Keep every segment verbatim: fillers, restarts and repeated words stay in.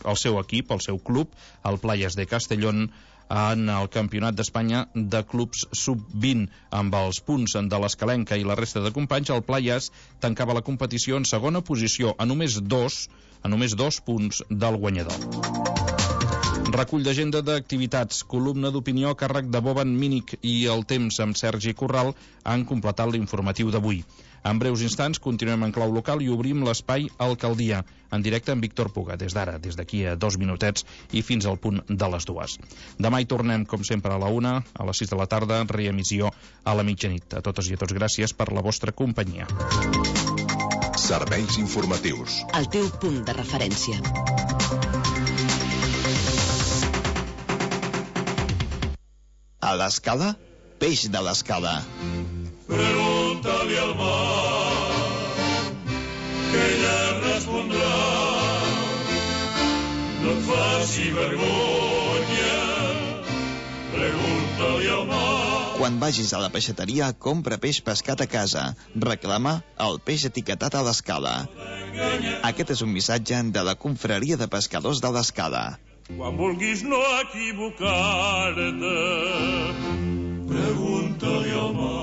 el seu equip, el seu club, el Playas de Castellón, en el Campionat d'Espanya de clubs sub vint. Amb els punts de l'Escalenca i la resta de companys, el Playas tancava la competició en segona posició, a només dos, a només dos punts del guanyador. Recull d'agenda d'activitats, columna d'opinió a càrrec de Boban Mínic i El Temps amb Sergi Corral han completat l'informatiu d'avui. En breus instants continuem en clau local i obrim l'espai Alcaldia, en directe amb Víctor Puga, des d'ara, des d'aquí a dos minutets i fins al punt de les dues. Demà hi tornem, com sempre, a la una, a les sis de la tarda, reemissió a la mitjanit. A totes i a tots, gràcies per la vostra companyia. Serveis informatius. El teu punt de referència. A l'Escala, peix de l'Escala. Pregunta-li al mar, que ella respondrà. No et faci vergonya, pregunta-li al mar. Quan vagis a la peixateria, compra peix pescat a casa. Reclama el peix etiquetat a l'Escala. Aquest és un missatge de la Confraria de Pescadors de l'Escala. Quan vulguis no equivocar-te, pregunta-li al mar.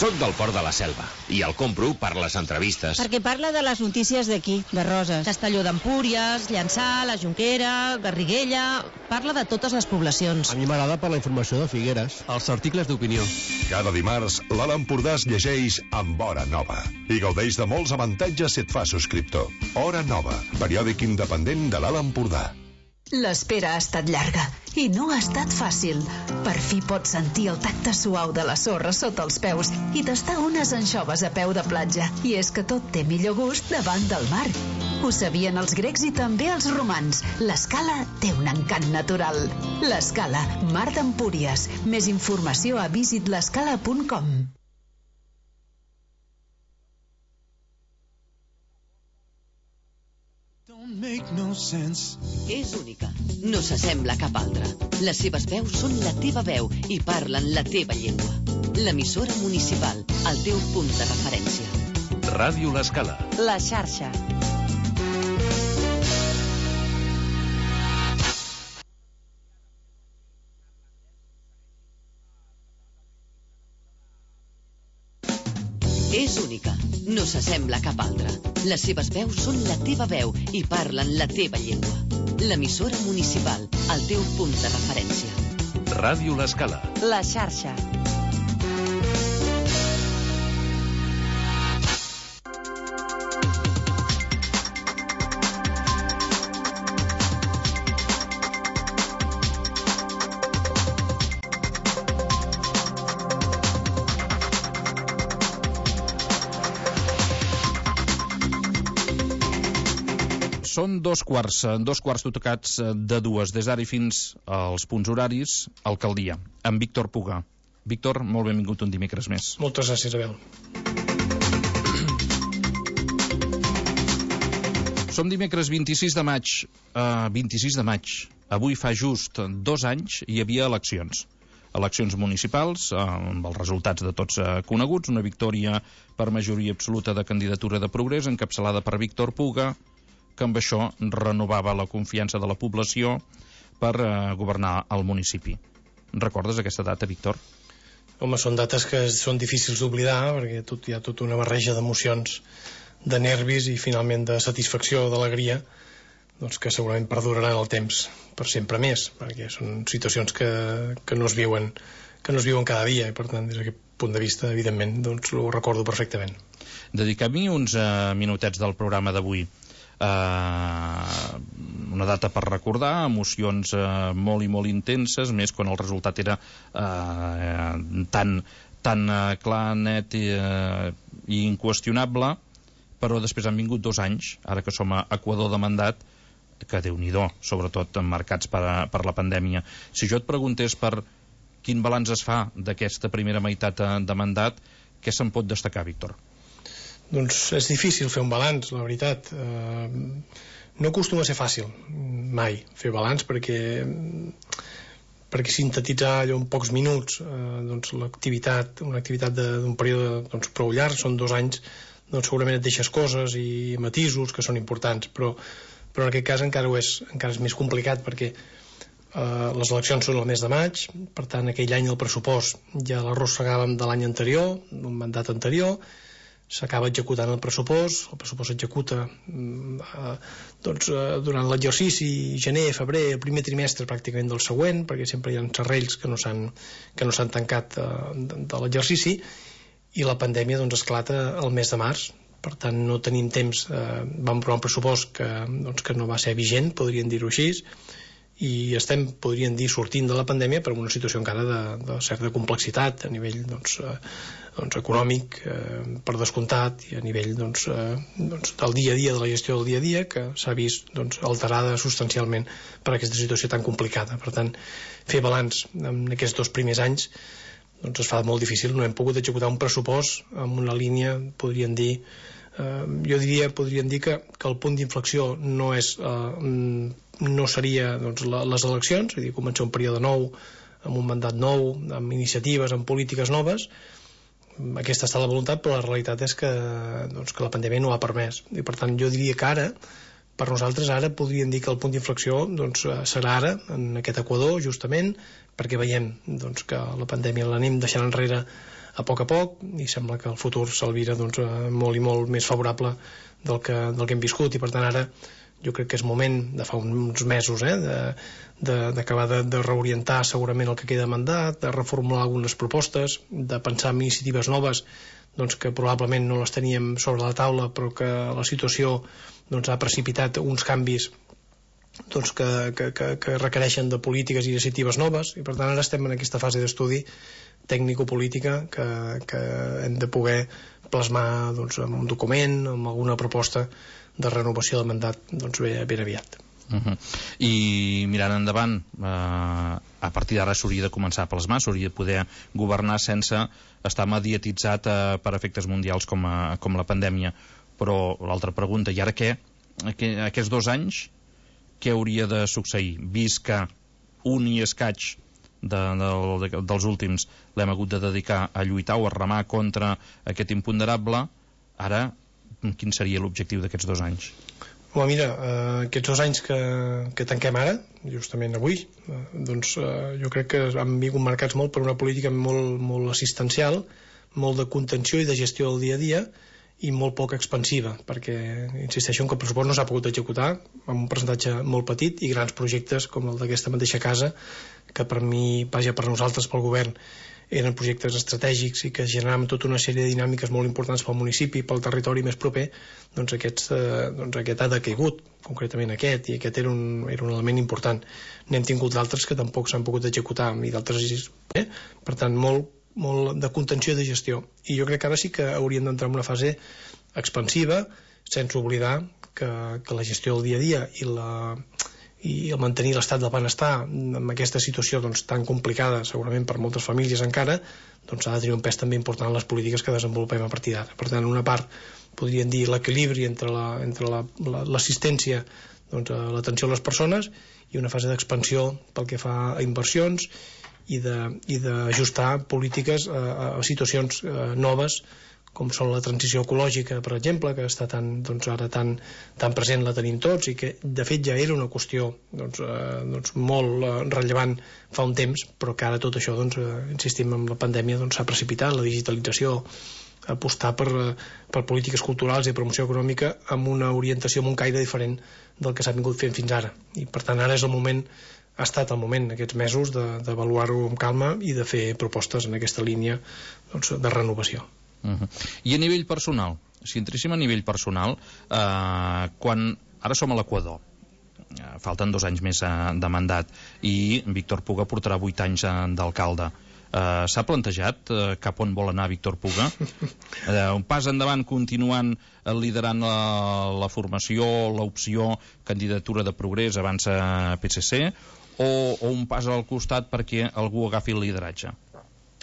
Soc del Port de la Selva i el compro per les entrevistes. Perquè parla de les notícies d'aquí, de Roses. Castelló d'Empúries, Llançà, la Jonquera, Garriguella... Parla de totes les poblacions. A mi m'agrada per la informació de Figueres. Els articles d'opinió. Cada dimarts, l'Alt Empordà es llegeix amb Hora Nova i gaudeix de molts avantatges si et fa subscriptor. Hora Nova, periòdic independent de l'Alt Empordà. L'espera ha estat llarga i no ha estat fàcil. Per fi pots sentir el tacte suau de la sorra sota els peus i tastar unes anxoves a peu de platja. I és que tot té millor gust davant del mar. Ho sabien els grecs i també els romans. L'Escala té un encant natural. L'Escala, Mar d'Empúries. Més informació a visit l'escala punt com. No és única, no s'assembla a cap altra. Les seves veus són la teva veu i parlen la teva llengua. L'emissora municipal, el teu punt de referència. Ràdio L'Escala. La xarxa. És única, no s'assembla a cap altra. Les seves veus són la teva veu i parlen la teva llengua. L'emissora municipal, el teu punt de referència. Ràdio L'Escala. La xarxa. Són dos quarts, dos quarts tocats de dues, des d'ara i fins als punts horaris, Alcaldia, amb Víctor Puga. Víctor, molt benvingut un dimecres més. Moltes gràcies, Abel. Som dimecres vint-i-sis de maig, uh, vint-i-sis de maig. Avui fa just dos anys hi havia eleccions. Eleccions municipals, uh, amb els resultats de tots uh, coneguts, una victòria per majoria absoluta de candidatura de Progrés, encapçalada per Víctor Puga, que amb això renovava la confiança de la població per eh, governar el municipi. Recordes aquesta data, Víctor? Home, són dates que són difícils d'oblidar, perquè tot, hi ha tota una barreja d'emocions, de nervis i finalment de satisfacció, d'alegria, doncs que segurament perduraran el temps per sempre més, perquè són situacions que, que no es viuen que no es viuen cada dia, i per tant, des d'aquest punt de vista, evidentment, doncs ho recordo perfectament. Dediquem-hi uns eh, minutets del programa d'avui. Uh, una data per recordar, emocions uh, molt i molt intenses, més quan el resultat era uh, tan, tan uh, clar, net i, uh, i inqüestionable, però després han vingut dos anys, ara que som a Equador de mandat, que Déu-n'hi-do, sobretot marcats per, per la pandèmia. Si jo et preguntés per quin balanç es fa d'aquesta primera meitat de mandat, què se'n pot destacar, Víctor? Doncs és difícil fer un balanç, la veritat. Eh, no acostuma a ser fàcil, mai, fer balanç, perquè perquè sintetitzar allò en pocs minuts eh, doncs l'activitat, una activitat d'un període doncs, prou llarg, són dos anys doncs segurament et deixes coses i matisos que són importants, però, però en aquest cas encara, ho és, encara és més complicat perquè eh, les eleccions són el mes de maig, per tant aquell any el pressupost ja l'arrossegàvem de l'any anterior, d'un mandat anterior, s'acaba executant el pressupost, el pressupost s'executa eh, doncs, eh, durant l'exercici, gener, febrer, el primer trimestre pràcticament del següent, perquè sempre hi ha serrells que no s'han que no s'han tancat eh, de, de l'exercici, i la pandèmia doncs, esclata el mes de març. Per tant no tenim temps, eh, vam aprovar un pressupost que, doncs, que no va ser vigent, podríem dir-ho així, i estem, podríem dir, sortint de la pandèmia per una situació encara de, de certa complexitat a nivell doncs, eh, doncs, econòmic, eh, per descomptat, i a nivell doncs, eh, doncs, del dia a dia, de la gestió del dia a dia, que s'ha vist doncs, alterada substancialment per aquesta situació tan complicada. Per tant, fer balanç en aquests dos primers anys doncs es fa molt difícil. No hem pogut executar un pressupost amb una línia, podríem dir, eh, jo diria, podríem dir que, que el punt d'inflexió no és eh, no seria doncs, la, les eleccions, és a dir, començar un període nou, amb un mandat nou, amb iniciatives, amb polítiques noves. Aquesta està la voluntat, però la realitat és que, doncs, que la pandèmia no ho ha permès. I per tant jo diria que ara, per nosaltres ara podríem dir que el punt d'inflexió doncs, serà ara, en aquest equador, justament, perquè veiem doncs, que la pandèmia l'anem deixant enrere a poc a poc i sembla que el futur s'alvira doncs, molt i molt més favorable del que, del que hem viscut, i per tant ara jo crec que és moment, de fa uns mesos, eh, d'acabar de, de, de reorientar segurament el que queda de mandat, de reformular algunes propostes, de pensar en iniciatives noves doncs, que probablement no les teníem sobre la taula, però que la situació doncs, ha precipitat uns canvis doncs, que, que, que, que requereixen de polítiques i iniciatives noves, i per tant ara estem en aquesta fase d'estudi tècnico-política que, que hem de poder plasmar doncs, en un document, amb alguna proposta de renovació del mandat doncs, ben, ben aviat. Uh-huh. I mirant endavant, eh, a partir d'ara s'hauria de començar a plasmar, s'hauria de poder governar sense estar mediatitzat eh, per efectes mundials com, a, com la pandèmia. Però l'altra pregunta, i ara què? Aquests dos anys què hauria de succeir? Vist que un i escaig de, de, de, dels últims l'hem hagut de dedicar a lluitar o a remar contra aquest imponderable, ara quin seria l'objectiu d'aquests dos anys? Home, mira, eh, aquests dos anys que, que tanquem ara, justament avui, eh, doncs eh, jo crec que han vingut marcats molt per una política molt, molt assistencial, molt de contenció i de gestió del dia a dia, i molt poc expansiva, perquè insisteixo en que el pressupost no s'ha pogut executar amb un percentatge molt petit, i grans projectes com el d'aquesta mateixa casa, que per mi, vaja, per nosaltres, pel govern, eren projectes estratègics i que generaven tota una sèrie de dinàmiques molt importants pel municipi, pel territori més proper, doncs, aquests, eh, doncs aquest ha decaigut, concretament aquest, i aquest era un, era un element important. N'hem tingut d'altres que tampoc s'han pogut executar, i d'altres, eh? Per tant, molt, molt de contenció i de gestió. I jo crec que ara sí que hauríem d'entrar en una fase expansiva, sense oblidar que, que la gestió del dia a dia i la... i el mantenir l'estat del benestar en aquesta situació doncs, tan complicada segurament per moltes famílies encara, doncs ha de tenir un pes també important en les polítiques que desenvolupem a partir d'ara. Per tant, una part podríem dir l'equilibri entre la, entre la, la, l'assistència doncs, a l'atenció a les persones, i una fase d'expansió pel que fa a inversions i d'ajustar polítiques a, a situacions a, noves, com són la transició ecològica, per exemple, que està tan, doncs, ara tan, tan present, la tenim tots, i que de fet ja era una qüestió doncs, eh, doncs, molt eh, rellevant fa un temps, però que ara tot això, doncs, eh, insistim, amb la pandèmia s'ha doncs, precipitat, la digitalització, apostar per, per polítiques culturals i promoció econòmica amb una orientació, amb un caire diferent del que s'ha vingut fent fins ara. I per tant ara és el moment, ha estat el moment aquests mesos d'avaluar-ho amb calma i de fer propostes en aquesta línia doncs, de renovació. Uh-huh. I a nivell personal, si entréssim a nivell personal, eh, quan ara som a l'Equador, eh, falten dos anys més eh, de mandat, i Víctor Puga portarà vuit anys eh, d'alcalde, eh, s'ha plantejat eh, cap on vol anar Víctor Puga? Eh, un pas endavant continuant eh, liderant la, la formació, l'opció candidatura de Progrés abans a P S C, o, o un pas al costat perquè algú agafi el lideratge?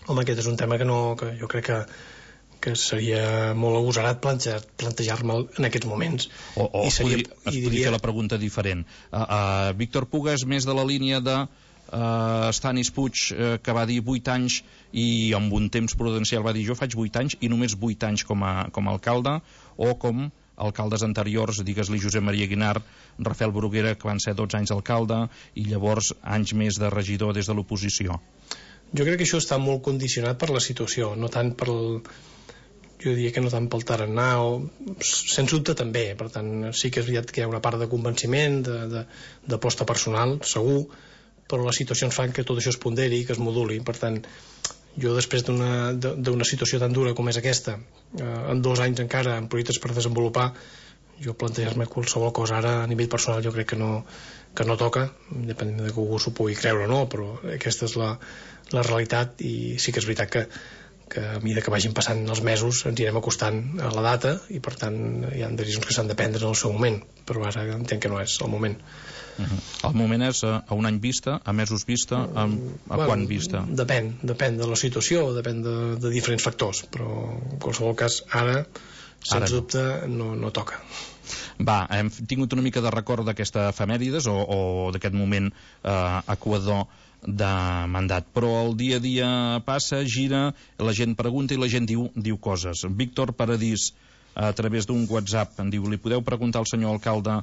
Home, aquest és un tema que, no, que jo crec que que seria molt agosarat plantejar, plantejar-me'l en aquests moments. O, o I seria, es podria, es i podria diria... fer la pregunta diferent. Uh, uh, Víctor Puga és més de la línia de uh, Stanis Puig, uh, que va dir vuit anys i amb un temps prudencial va dir jo faig vuit anys i només vuit anys com a, com a alcalde, o com alcaldes anteriors, digues-li Josep Maria Guinart, Rafael Bruguera, que van ser dotze anys alcalde i llavors anys més de regidor des de l'oposició. Jo crec que això està molt condicionat per la situació, no tant per el... jo diria que no tant pel tarannà, o... sens dubte també, per tant sí que és veritat que hi ha una part de convenciment, d'aposta personal, segur, però les situacions fan que tot això es ponderi, que es moduli. Per tant, jo després d'una situació tan dura com és aquesta, eh, en dos anys encara, amb projectes per desenvolupar, jo plantejar-me qualsevol cosa ara a nivell personal jo crec que no, que no toca, depèn de que algú s'ho pugui creure o no, però aquesta és la, la realitat, i sí que és veritat que que a mesura que vagin passant els mesos ens anirem acostant a la data i per tant hi ha decisions que s'han de prendre en el seu moment, però ara entenc que no és el moment. Uh-huh. El moment és a, a un any vista, a mesos vista, a, a bueno, quan vista? Depèn, depèn de la situació, depèn de, de diferents factors, però en qualsevol cas ara, sens ara dubte, no, no toca. Va, hem tingut una mica de record d'aquesta efemèrides o, o d'aquest moment eh, equador de mandat, però el dia a dia passa, gira, la gent pregunta i la gent diu, diu coses. Víctor Paradís, a través d'un WhatsApp, em diu, li podeu preguntar al senyor alcalde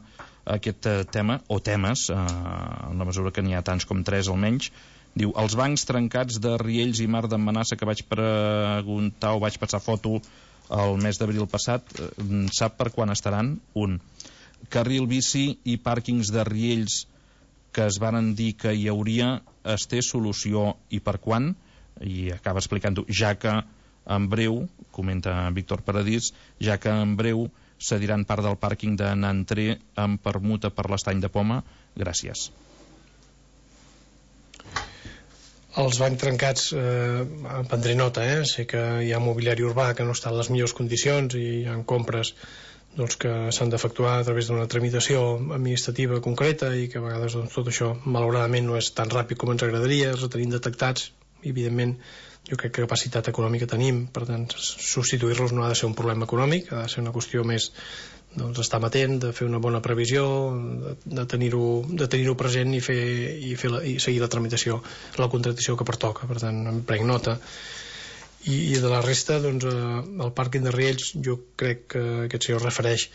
aquest eh, tema, o temes, eh, en la mesura que n'hi ha tants com tres almenys. Diu, els bancs trencats de Riells i Mar d'en Manassa que vaig preguntar o vaig passar foto el mes d'abril passat, eh, sap per quan estaran? Un. Carril bici i pàrquings de Riells que es varen dir que hi hauria, es té solució i per quan? I acaba explicant-ho, ja que en breu, comenta Víctor Paradís, ja que en breu cediran part del pàrquing de Nantré amb permuta per l'estany de Poma. Gràcies. Els bancs trencats, eh, en prendré nota, eh? Sé que hi ha mobiliari urbà que no està en les millors condicions i hi ha compres doncs, que s'han d'efectuar a través d'una tramitació administrativa concreta i que a vegades doncs, tot això malauradament no és tan ràpid com ens agradaria, els tenim detectats i evidentment jo crec que capacitat econòmica tenim, per tant substituir-los no ha de ser un problema econòmic, ha de ser una qüestió més doncs, estar amatent, de fer una bona previsió, de, de tenir-ho de tenir-ho present i, fer, i, fer la, i seguir la tramitació, la contractació que pertoca, per tant em prenc nota. I, i de la resta, doncs, eh, el pàrquing de Riells, jo crec que aquest senyor refereix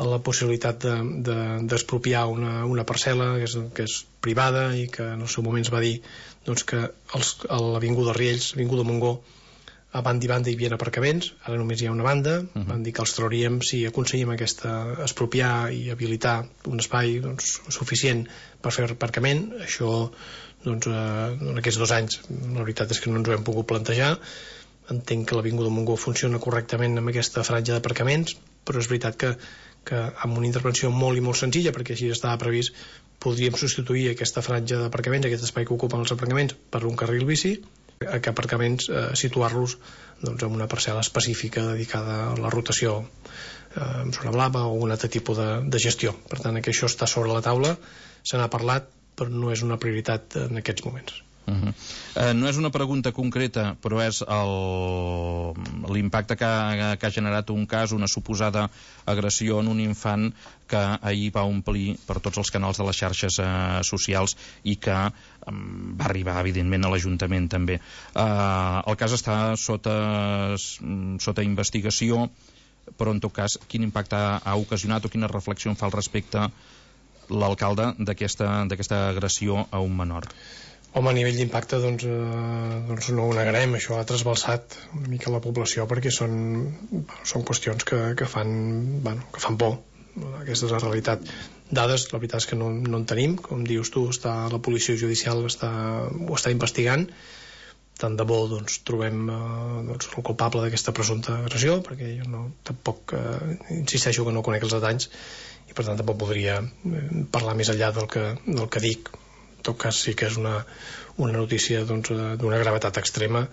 a la possibilitat d'expropiar de, de, una, una parcel·la que és, que és privada i que en el seu moment es va dir doncs, que els, a l'Avinguda Riells, l'Avinguda Montgó, a banda i banda hi havia aparcaments, ara només hi ha una banda, uh-huh. Van dir que els trauríem si aconseguim aquesta expropiar i habilitar un espai doncs, suficient per fer aparcament. Això doncs, eh, en aquests dos anys la veritat és que no ens ho hem pogut plantejar. Entenc que l'Avinguda Montgó funciona correctament amb aquesta franja d'aparcaments, però és veritat que, que amb una intervenció molt i molt senzilla, perquè així estava previst, podríem substituir aquesta franja d'aparcaments, aquest espai que ocupen els aparcaments, per un carril bici, a que aparcaments eh, situar-los doncs, en una parcel·la específica dedicada a la rotació eh, amb zona blava o un altre tipus de, de gestió. Per tant, que això està sobre la taula, se n'ha parlat, però no és una prioritat en aquests moments. Uh-huh. eh, no és una pregunta concreta, però és l'impacte que, que ha generat un cas, una suposada agressió en un infant que ahir va omplir per tots els canals de les xarxes eh, socials i que eh, va arribar evidentment a l'Ajuntament també. Eh, el cas està sota, sota investigació, però en tot cas quin impacte ha, ha ocasionat o quina reflexió en fa al respecte l'alcalde d'aquesta d'aquesta agressió a un menor? Home, a nivell d'impacte doncs, eh, doncs no ho negarem, això ha trasbalsat una mica la població perquè són, són qüestions que, que, fan, bueno, que fan por. Aquesta és la realitat. Dades, la veritat és que no, no en tenim, com dius tu, està, la policia judicial està, ho està investigant. Tant de bo doncs, trobem eh, doncs, el culpable d'aquesta presumpta agressió, perquè jo no, tampoc eh, insisteixo que no conec els detalls i per tant tampoc podria eh, parlar més enllà del que, del que dic. En tot cas sí que és una, una notícia doncs, d'una gravetat extrema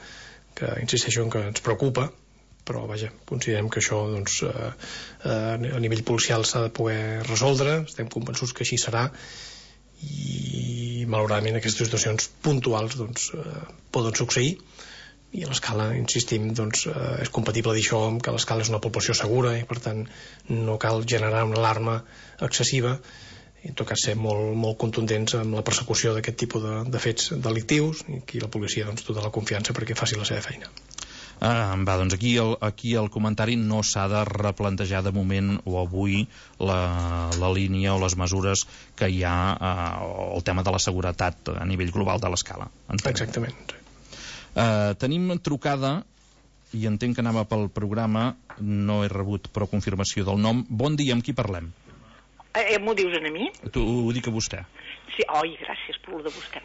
que insisteixo en que ens preocupa, però vaja, considerem que això doncs, eh, a nivell policial s'ha de poder resoldre, estem convençuts que així serà i malauradament aquestes situacions puntuals doncs, eh, poden succeir i a l'escala, insistim, doncs, eh, és compatible dir això amb que l'escala és una població segura i per tant no cal generar una alarma excessiva i en tot cas ser molt, molt contundents amb la persecució d'aquest tipus de, de fets delictius, i aquí la policia doncs tota la confiança perquè faci la seva feina. Ah, va, doncs aquí el, aquí el comentari no s'ha de replantejar de moment o avui la, la línia o les mesures que hi ha, eh, o el tema de la seguretat a nivell global de l'escala. Exactament. Eh, tenim trucada i entenc que anava pel programa, no he rebut però confirmació del nom. Bon dia, amb qui parlem? Eh, m'ho dius a mi? Tu, ho dic a vostè. Sí, oi, gràcies per lo de vostè.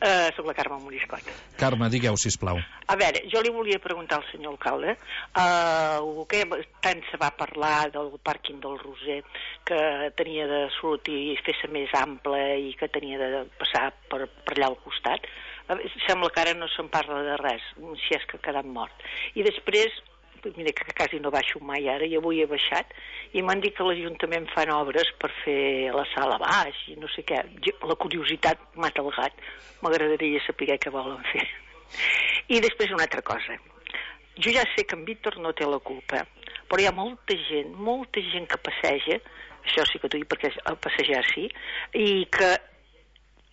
Uh, soc la Carme Moriscot. Carme, digueu, sisplau. A veure, jo li volia preguntar al senyor alcalde uh, que tant se va parlar del pàrquing del Roser, que tenia de sortir i fer-se més ample i que tenia de passar per, per allà al costat. Uh, sembla que ara no se'n parla de res, si és que ha quedat mort. I després, mira que quasi no baixo mai ara, i avui he baixat, i m'han dit que l'Ajuntament fan obres per fer la sala baix i no sé què. La curiositat mata el gat, m'agradaria saber què volen fer. I després una altra cosa, jo ja sé que en Víctor no té la culpa, però hi ha molta gent, molta gent que passeja, això sí que t'ho dic perquè el passejar sí, i que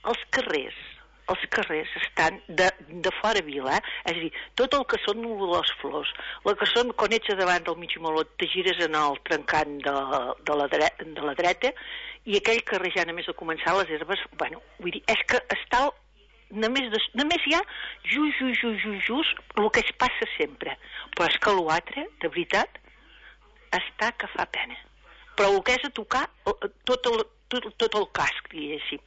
els carrers els carrers estan de, de fora vila, és a dir, tot el que són les flors, el que són quan ets a davant del mig molot, te gires en el trencant de, de, la dreta, de la dreta, i aquell carrer ja només de començar les herbes, bueno, vull dir, és que està, només, de, només hi ha just, just, just, just, just, el que es passa sempre, però és que l'altre, de veritat, està que fa pena. Però el que és a tocar tot el, tot, tot el casc, diguéssim.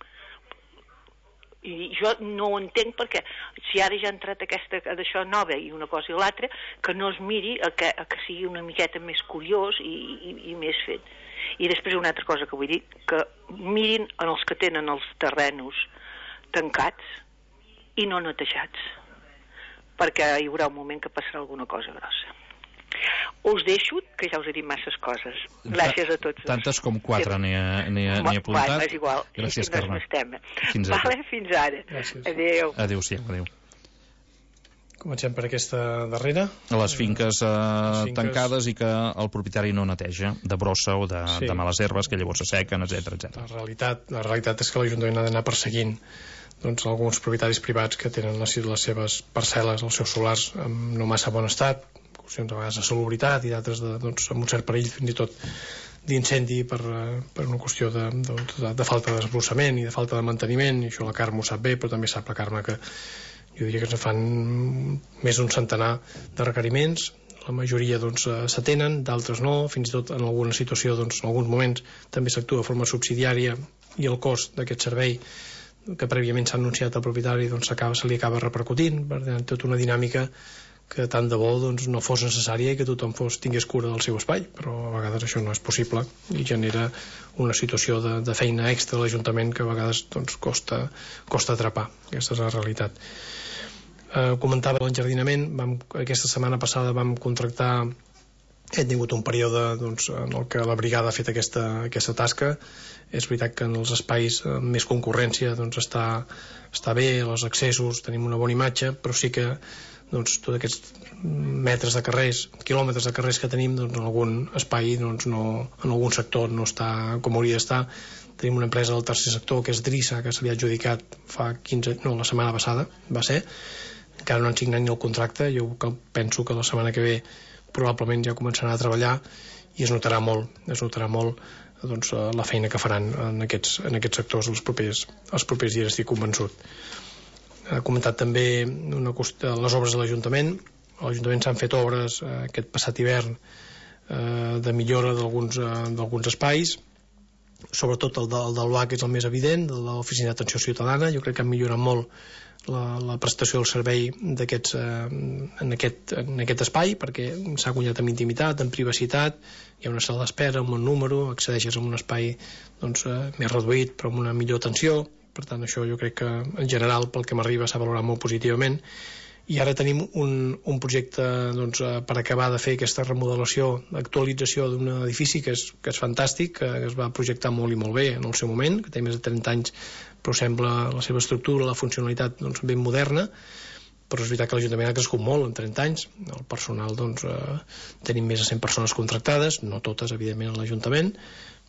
I jo no ho entenc perquè si ara ja ha entrat aquesta d'això nova i una cosa i l'altra, que no es miri a que, a que sigui una miqueta més curiós i, i, i més fet. I després una altra cosa que vull dir, que mirin en els que tenen els terrenos tancats i no netejats, perquè hi haurà un moment que passarà alguna cosa grossa. Us deixo, que ja us he dit masses coses. Gràcies a tots. Tantes com quatre n'he apuntat. Bueno, és igual. Gràcies, Carme. Fins ara. Vale, fins ara. Gràcies. Adéu. Adéu-siau, adéu. Comencem per aquesta darrera. Les finques, eh, Les finques tancades i que el propietari no neteja de brossa o de, sí. de males herbes que llavors s'assequen, etcètera, etcètera. La realitat, la realitat és que l'Ajuntament ha d'anar perseguint doncs, alguns propietaris privats que tenen les, les seves parcel·les, els seus solars en no massa bon estat, qüestions a vegades de salubritat i d'altres de, doncs, amb un cert perill fins i tot d'incendi per, per una qüestió de, de, de, de falta d'esbrossament i de falta de manteniment, i això la Carme ho sap bé, però també sap la Carme que jo diria que ens fan més d'un centenar de requeriments, la majoria doncs, s'atenen, d'altres no, fins i tot en alguna situació, doncs, en alguns moments també s'actua de forma subsidiària i el cost d'aquest servei que prèviament s'ha anunciat al propietari doncs, se li acaba repercutint, per tant, tota una dinàmica que tant de bo doncs, no fos necessària i que tothom fos, tingués cura del seu espai, però a vegades això no és possible i genera una situació de, de feina extra a l'Ajuntament que a vegades doncs, costa, costa atrapar. Aquesta és la realitat. Eh, comentava l'enjardinament, vam, aquesta setmana passada vam contractar, hem tingut un període doncs, en el que la brigada ha fet aquesta, aquesta tasca. És veritat que en els espais amb més concurrència doncs, està, està bé, els accessos, tenim una bona imatge, però sí que doncs, tots aquests metres de carrers, quilòmetres de carrers que tenim, doncs, en algun espai, doncs, no, en algun sector no està com hauria d'estar. Tenim una empresa del tercer sector, que és Drissa, que se li ha adjudicat fa quinze, no, la setmana passada, va ser, encara no han signat ni el contracte, jo penso que la setmana que ve probablement ja començaran a treballar i es notarà molt, es notarà molt doncs, la feina que faran en aquests, en aquests sectors els propers, els propers dies, estic convençut. Ha comentat també una qüestió, les obres de l'Ajuntament. A l'Ajuntament s'han fet obres eh, aquest passat hivern eh, de millora d'alguns eh, espais, sobretot el, de, el del B A C és el més evident, el de l'Oficina d'Atenció Ciutadana. Jo crec que han millorat molt la, la prestació del servei d'aquests, eh, en, aquest, en aquest espai, perquè s'ha guanyat amb intimitat, amb privacitat, hi ha una sala d'espera, un bon número, accedeixes a un espai doncs, eh, més reduït però amb una millor atenció. Per tant, això jo crec que en general pel que m'arriba s'ha valorat molt positivament. I ara tenim un, un projecte doncs, per acabar de fer aquesta remodelació, actualització d'un edifici que és, que és fantàstic, que es va projectar molt i molt bé en el seu moment, que té més de trenta anys, però sembla la seva estructura, la funcionalitat doncs, ben moderna, però és veritat que l'Ajuntament ha crescut molt en trenta anys. El personal, doncs, eh, tenim més de cent persones contractades, no totes, evidentment, a l'Ajuntament,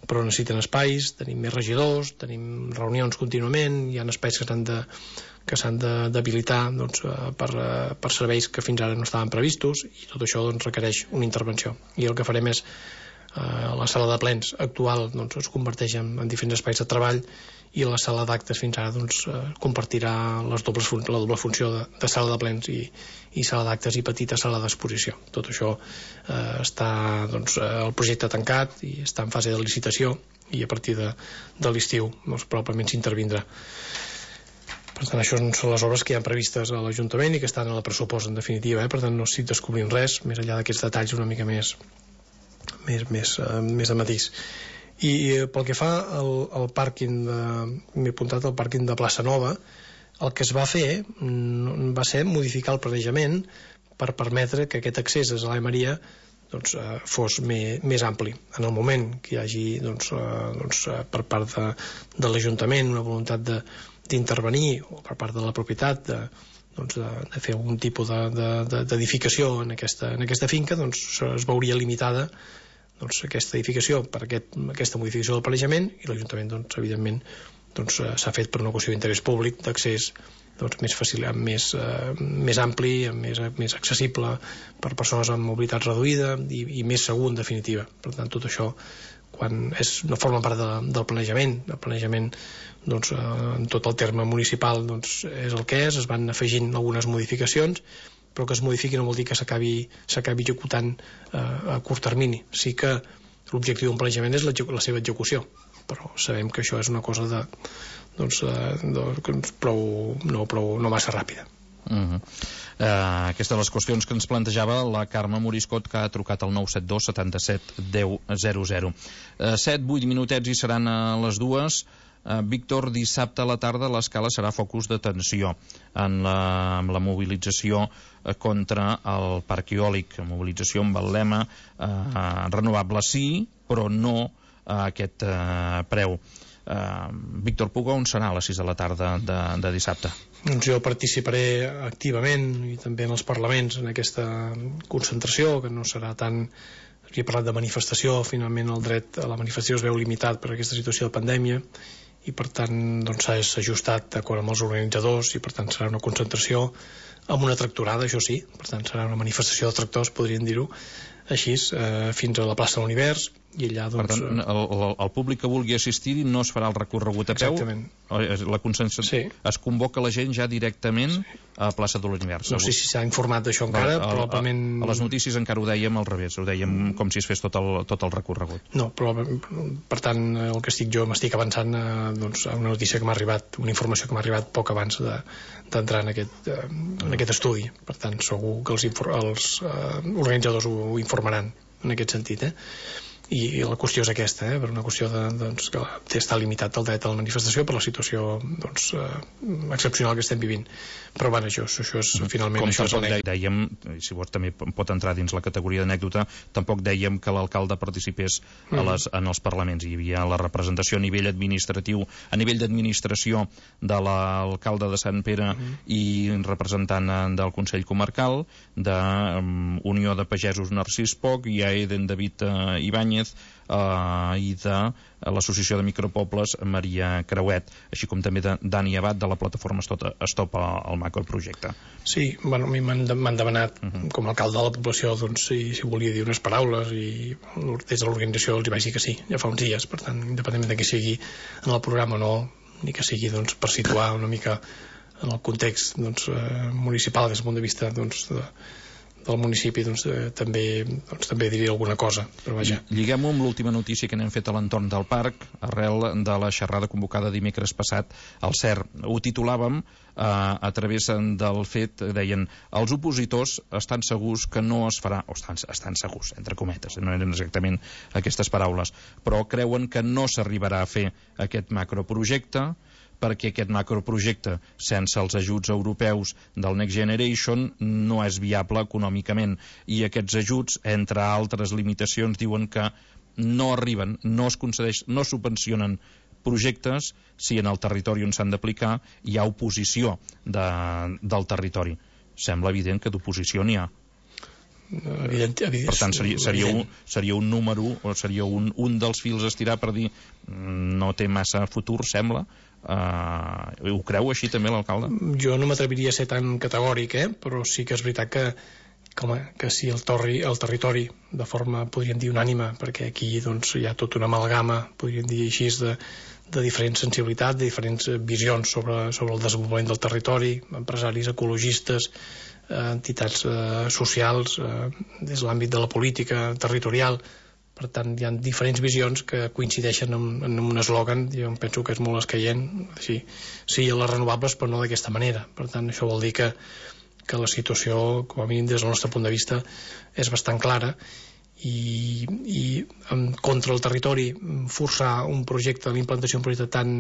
però necessiten espais, tenim més regidors, tenim reunions contínuament, hi ha espais que s'han de que s'han d'habilitar doncs, per, per serveis que fins ara no estaven previstos, i tot això doncs, requereix una intervenció. I el que farem és eh, la sala de plens actual doncs, es converteix en, en diferents espais de treball, i la sala d'actes fins ara doncs, eh, compartirà les dobles fun la doble funció de, de sala de plens i, i sala d'actes i petita sala d'exposició. Tot això eh, està doncs, el projecte tancat i està en fase de licitació, i a partir de, de l'estiu doncs, probablement s'intervindrà. Per tant, això són les obres que hi ha previstes a l'Ajuntament i que estan a la pressupost, en definitiva, eh? Per tant, no estic descobrint res, més enllà d'aquests detalls una mica més, més, més, uh, més de matís. I uh, pel que fa al, al pàrquing, m'he apuntat al pàrquing de Plaça Nova, el que es va fer mm, va ser modificar el planejament per permetre que aquest accés a Sala Maria doncs, uh, fos més, més ampli. En el moment que hi hagi doncs, uh, doncs, uh, per part de, de l'Ajuntament una voluntat de d'intervenir, o per part de la propietat de, doncs de, de fer algun tipus d'edificació de, de, en, aquesta, en aquesta finca, doncs es veuria limitada doncs, aquesta edificació per aquest, aquesta modificació del planejament, i l'Ajuntament doncs, evidentment doncs, s'ha fet per una qüestió d'interès públic d'accés doncs, més fàcil, més, uh, més ampli, més, més accessible per persones amb mobilitat reduïda i, i més segur, en definitiva. Per tant, tot això quan és, no forma part de, del planejament el planejament doncs, eh, en tot el terme municipal doncs, és el que és, es van afegint algunes modificacions, però que es modifiqui no vol dir que s'acabi executant eh, a curt termini. Sí que l'objectiu d'un planejament és la, la seva execució, però sabem que això és una cosa de, doncs, de, de, prou, no, prou, no massa ràpida. Uh -huh. uh, aquestes les qüestions que ens plantejava la Carme Moriscot, que ha trucat al nou set dos setanta-set deu zero zero. uh, set vuit minutets i seran a les dues. uh, Víctor, dissabte a la tarda l'Escala serà focus d'atenció en la, amb la mobilització contra el parc eòlic, mobilització amb el lema uh, renovable sí, però no a aquest uh, preu. uh, Víctor Puga, on serà a les sis de la tarda de, de dissabte? Doncs jo participaré activament i també en els parlaments en aquesta concentració, que no serà tant... Havia parlat de manifestació, finalment el dret a la manifestació es veu limitat per aquesta situació de pandèmia i per tant doncs, s'ha ajustat d'acord amb els organitzadors, i per tant serà una concentració amb una tractorada, això sí, per tant serà una manifestació de tractors, podríem dir-ho així, eh, fins a la plaça de l'Univers, i allà doncs... Per tant, el, el, el públic que vulgui assistir no es farà el recorregut a peu? Exactament. La concentració, sí. Es convoca la gent ja directament sí. a plaça de l'Univers. No sé si s'ha informat d'això encara, a, probablement... A, a les notícies encara ho dèiem al revés, ho dèiem com si es fes tot el, tot el recorregut. No, però per tant el que estic jo m'estic avançant a, doncs, a una notícia que m'ha arribat, una informació que m'ha arribat poc abans d'entrar de, en, aquest, en aquest estudi. Per tant, segur que els, els uh, organitzadors ho, ho informaran en aquest sentit, eh? I la qüestió és aquesta, eh? Per una qüestió de, doncs, que està limitat el dret a la manifestació per la situació doncs, eh, excepcional que estem vivint. Però bueno, això, això és finalment... Com això tampoc és dèiem, si vols també pot entrar dins la categoria d'anècdota, tampoc dèiem que l'alcalde participés mm. a les, en els parlaments. Hi havia la representació a nivell administratiu, a nivell d'administració de l'alcalde de Sant Pere mm. i representant del Consell Comarcal, de um, Unió de Pagesos Narcís Poc, i a Eden David uh, Ibáñez, Uh, i de l'Associació de Micropobles Maria Creuet, així com també de Dani Abad de la plataforma Stop al macroprojecte. Sí, bueno, a mi m'han demanat uh -huh. com a alcalde de la població doncs, si, si volia dir unes paraules, i des de l'organització els hi vaig dir que sí, ja fa uns dies. Per tant, independentment de que sigui en el programa o no, ni que sigui doncs, per situar una mica en el context doncs, eh, municipal des del punt de vista doncs, de del municipi, doncs, eh, també, doncs, també diria alguna cosa, però vaja. Lliguem-ho amb l'última notícia que n'hem fet a l'entorn del parc, arrel de la xerrada convocada dimecres passat al C E R. Ho titulàvem eh, a través del fet, deien, els opositors estan segurs que no es farà, o estan, estan segurs, entre cometes, no eren exactament aquestes paraules, però creuen que no s'arribarà a fer aquest macroprojecte, perquè aquest macroprojecte, sense els ajuts europeus del Next Generation, no és viable econòmicament. I aquests ajuts, entre altres limitacions, diuen que no arriben, no es concedeix, no subvencionen projectes si en el territori on s'han d'aplicar hi ha oposició de, del territori. Sembla evident que d'oposició n'hi ha. evident, evident, per tant seria, seria, un, seria un número o seria un, un dels fils a estirar per dir no té massa futur, sembla. Uh, ho creu així també l'alcalde? Jo no m'atreviria a ser tan categòric, eh? Però sí que és veritat que com a, que si el, torri, el territori de forma, podríem dir, unànime, perquè aquí doncs, hi ha tota una amalgama, podríem dir així, de, de diferents sensibilitats, de diferents visions sobre, sobre el desenvolupament del territori, empresaris, ecologistes, eh, entitats eh, socials, eh, des de l'àmbit de la política territorial. Per tant, hi ha diferents visions que coincideixen en, en un eslògan, jo penso que és molt escaient, sí, sí a les renovables, però no d'aquesta manera. Per tant, això vol dir que, que la situació, com a mínim des del nostre punt de vista, és bastant clara, i, i en contra el territori forçar un projecte, l'implantació d'un projecte tan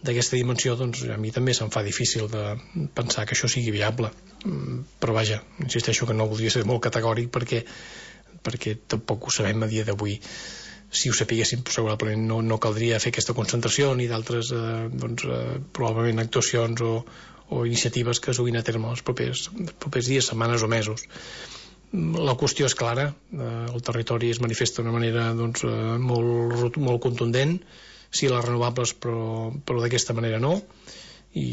d'aquesta dimensió, doncs a mi també se'm fa difícil de pensar que això sigui viable. Però vaja, insisteixo que no voldria ser molt categòric perquè perquè tampoc ho sabem a dia d'avui. Si ho sapiguéssim, segurament no, no caldria fer aquesta concentració ni d'altres eh, doncs, eh, probablement actuacions o, o iniciatives que es duguin a terme els propers, els propers dies, setmanes o mesos. La qüestió és clara, eh, el territori es manifesta d'una manera doncs, eh, molt, molt contundent, sí les renovables, però, però d'aquesta manera no, i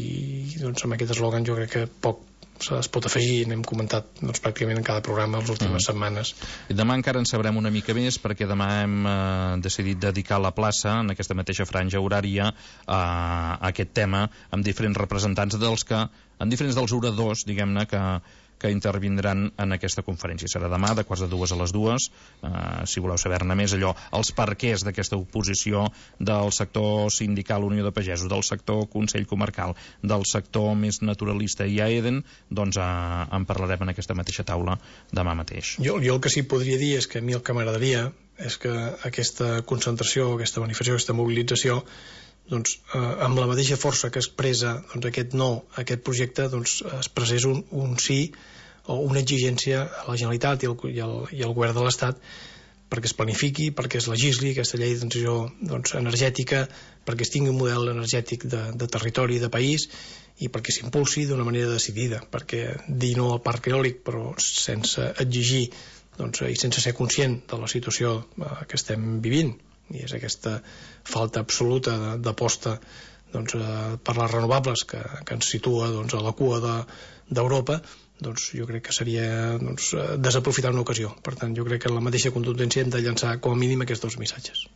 doncs, amb aquest eslògan jo crec que poc es pot afegir, n'hem comentat doncs, pràcticament en cada programa les últimes mm. setmanes. I demà encara en sabrem una mica més, perquè demà hem eh, decidit dedicar la plaça, en aquesta mateixa franja horària, a, a aquest tema, amb diferents representants dels que, en diferents dels oradors, diguem-ne, que que intervindran en aquesta conferència. Serà demà, de quarts de dues a les dues, eh, si voleu saber-ne més, allò, els perquès d'aquesta oposició del sector sindical Unió de Pagesos, del sector Consell Comarcal, del sector més naturalista i Aeden, doncs eh, en parlarem en aquesta mateixa taula demà mateix. Jo, jo el que sí podria dir és que a mi el que m'agradaria és que aquesta concentració, aquesta manifestació, aquesta mobilització, doncs, eh, amb la mateixa força que expressa doncs, aquest no a aquest projecte, doncs, expressés un, un sí o una exigència a la Generalitat i al, i al, i al govern de l'Estat perquè es planifiqui, perquè es legisli aquesta llei de transició doncs, energètica, perquè es tingui un model energètic de, de territori, de país, i perquè s'impulsi d'una manera decidida, perquè dir no al parc eòlic però sense exigir doncs, i sense ser conscient de la situació eh, que estem vivint, i és aquesta falta absoluta d'aposta doncs, eh, per les renovables que, que ens situa doncs, a la cua d'Europa, de, doncs, jo crec que seria doncs, desaprofitar una ocasió. Per tant, jo crec que en la mateixa contundència hem de llançar com a mínim aquests dos missatges.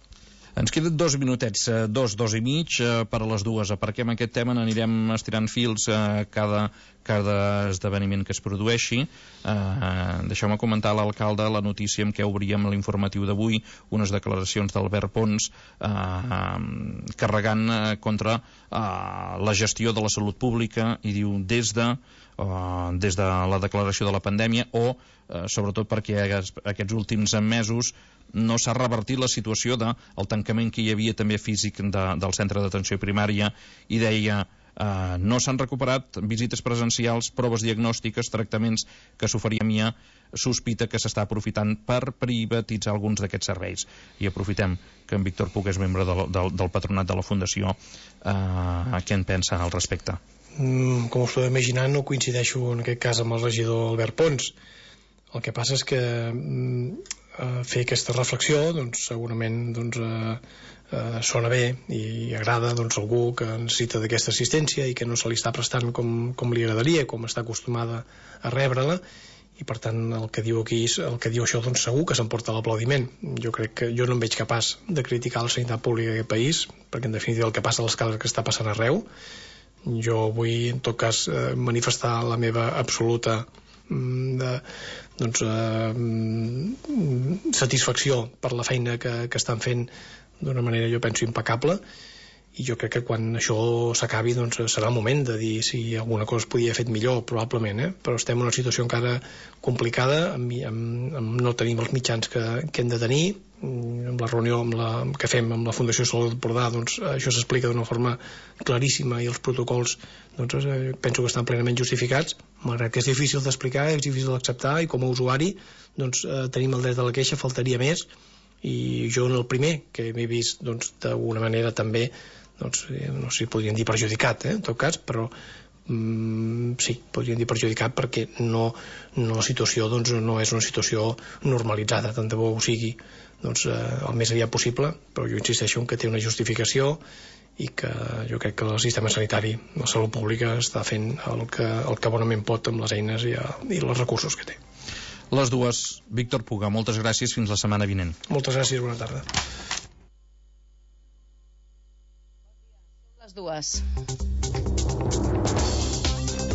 Ens queden dos minutets, dos, dos i mig per a les dues. Aparquem aquest tema, n'anirem estirant fils a cada, cada esdeveniment que es produeixi. Uh, Deixeu-me comentar a l'alcalde la notícia amb què obríem l'informatiu d'avui, unes declaracions d'Albert Pons uh, carregant uh, contra uh, la gestió de la salut pública, i diu des de Uh, des de la declaració de la pandèmia o uh, sobretot perquè aquests últims mesos no s'ha revertit la situació del de, tancament que hi havia també físic de, del centre d'atenció primària, i deia uh, no s'han recuperat visites presencials, proves diagnòstiques, tractaments que s'oferien, hi ha sospita que s'està aprofitant per privatitzar alguns d'aquests serveis. I aprofitem que en Víctor Puig és membre del, del, del patronat de la Fundació. Uh, què en pensa al respecte? Mm, com us podeu imaginar, no coincideixo en aquest cas amb el regidor Albert Pons. El que passa és que mm, fer aquesta reflexió doncs, segurament doncs, eh, eh, sona bé i agrada doncs, algú que necessita d'aquesta assistència i que no se li està prestant com, com li agradaria, com està acostumada a rebre-la, i per tant el que diu aquí, el que diu això doncs segur que s'emporta l'aplaudiment. Jo crec que jo no em veig capaç de criticar la sanitat pública d'aquest país, perquè en definitiva el que passa a l'escala que està passant arreu. Jo vull, en tot cas, eh, manifestar la meva absoluta mm, de, doncs, eh, satisfacció per la feina que, que estan fent d'una manera, jo penso, impecable, i jo crec que quan això s'acabi doncs, serà el moment de dir si alguna cosa es podia haver fet millor, probablement, eh? Però estem en una situació encara complicada, amb, amb, amb no tenim els mitjans que, que hem de tenir. Amb la reunió amb la, que fem amb la Fundació Salut d'Empordà, doncs, això s'explica d'una forma claríssima, i els protocols doncs, eh, penso que estan plenament justificats, malgrat que és difícil d'explicar, és difícil d'acceptar, i com a usuari doncs, eh, tenim el dret a la queixa, faltaria més, i jo en el primer que m'he vist doncs, d'alguna manera també doncs, no sé si podríem dir perjudicat, eh, en tot cas, però, mm, sí, podríem dir perjudicat, perquè no, no, la situació doncs, no és una situació normalitzada, tant de bo ho sigui doncs, eh, el més aviat possible, però jo insisteixo en que té una justificació i que jo crec que el sistema sanitari, la salut pública, està fent el que, el que bonament pot amb les eines i, i els recursos que té. Les dues, Víctor Puga, moltes gràcies, fins la setmana vinent. Moltes gràcies, bona tarda. Les dues.